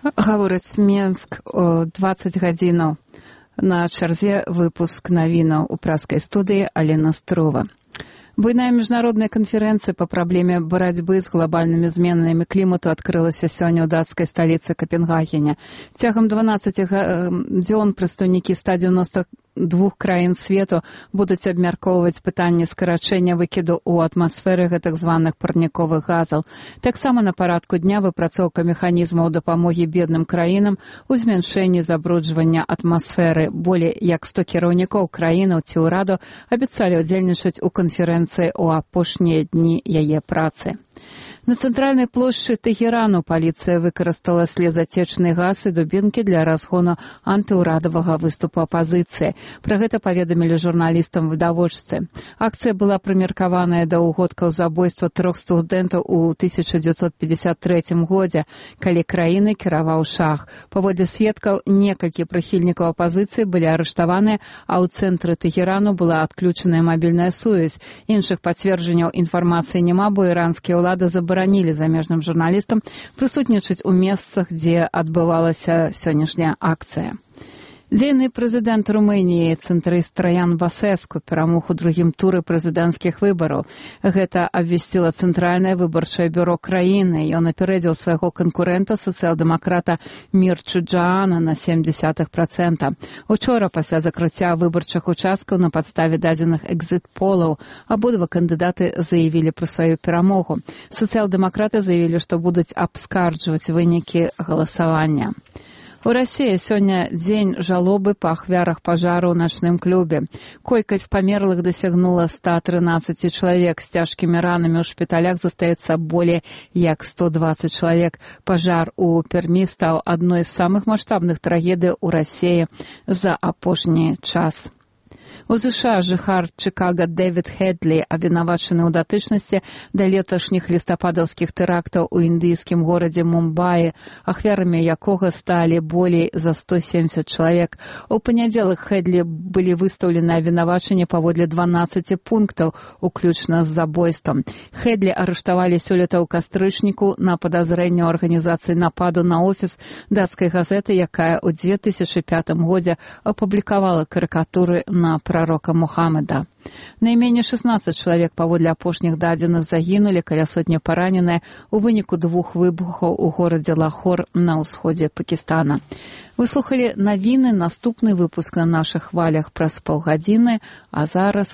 Гаворыць Менск о 20 гадзінаў. На чарзе выпуск навінаў у праскай студыі Алена Строва. Буйная міжнародная канферэнцыя па праблеме барацьбы з глобальнымі зменамі клімату адкрылася сёння ў дацкай сталіцы Капенгагене. Цягам 12 дзён прадстаўнікі 192 краін свету будуць абмяркоўваць пытанне скарачэння выкіду ў атмасферы гэтых званых парніковых газаў. Таксама на парадку дня выпрацоўка механізмаў дапамогі бедным краінам у змяншэнні забруджвання атмасферы. Болей як 100 кіраўнікоў краінаў ці ўраду абяцалі ўдзельнічаць у канферэнцыі у апошнія дні яе працы. На цэнтральнай плошчы Тэхерану паліцыя выкарыстала слезацечны газ і дубінкі для разгону антыўрадавага выступу апазіцыі. Пра гэта паведамілі журналістам відавочцы. Акцыя была прымеркаваная да ўгодкаў забойства 3 студэнтаў у 1953 годзе, калі краіны кіраваў шах. Паводле сведкаў, некалькі прыхільнікаў апазіцыі былі арыштаваныя, а ў цэнтры Тэхерану была адключаная мабільная сувязь. Іншых пацверджанняў інфармацыі няма, бо іранскія ўлады забаранілі замежным журналістам прысутнічаць у месцах, дзе адбывалася сённяшняя акцыя. Дзейны прэзідэнт Румыніі цэнтрыст Траян Басэску перамог у другім туры прэзідэнцкіх выбараў. Гэта абвясціла Цэнтральнае выбарчае бюро краіны. Ён апярэдзіў свайго канкурэнта, сацыял-дэмакрата Мірчу Джаана, на 0,7%. Учора, пасля закрыцця выбарчых участкаў на падставе дадзеных экзіт-полаў, абодва кандыдаты заявілі пра сваю перамогу. Сацыял-дэмакраты заявілі, што будуць абскарджваць вынікі галасавання. У Расіі сёння дзень жалобы па ахвярах пажару ў начным клубе. Колькасць памерлых дасягнула 113 чалавек. З цяжкімі ранамі ў шпіталях застаецца болей як 120 чалавек. Пажар у Пермі стаў адной з самых маштабных трагедый у Расіі за апошні час. У ЗША жыхар Чыкага Дэвід Хедлі абвінавачаны ў датычнасці да леташніх лістападаўскіх тэрактаў у індыйскім горадзе Мумбаі, ахвярамі якога сталі болей за 170 чалавек. У панядзелак Хедлі былі выстаўлены абвінавачанні паводле 12 пунктаў, уключна з забойствам. Хедлі арыштавалі сёлета ў кастрычніку на падазрэнне ў арганізацыі нападу на офіс дацкай газеты, якая ў 2005 годзе апублікавала карыкатуры на прарока Мухаммеда. Найменей 16 чалавек паводле апошніх дадзеных загінулі, каля сотні параненыя ў выніку 2 выбухаў у горадзе Лахор на ўсходзе Пакістана. Вы слухалі навіны, наступны выпуск на нашых хвалях праз паўгадзіны, а зараз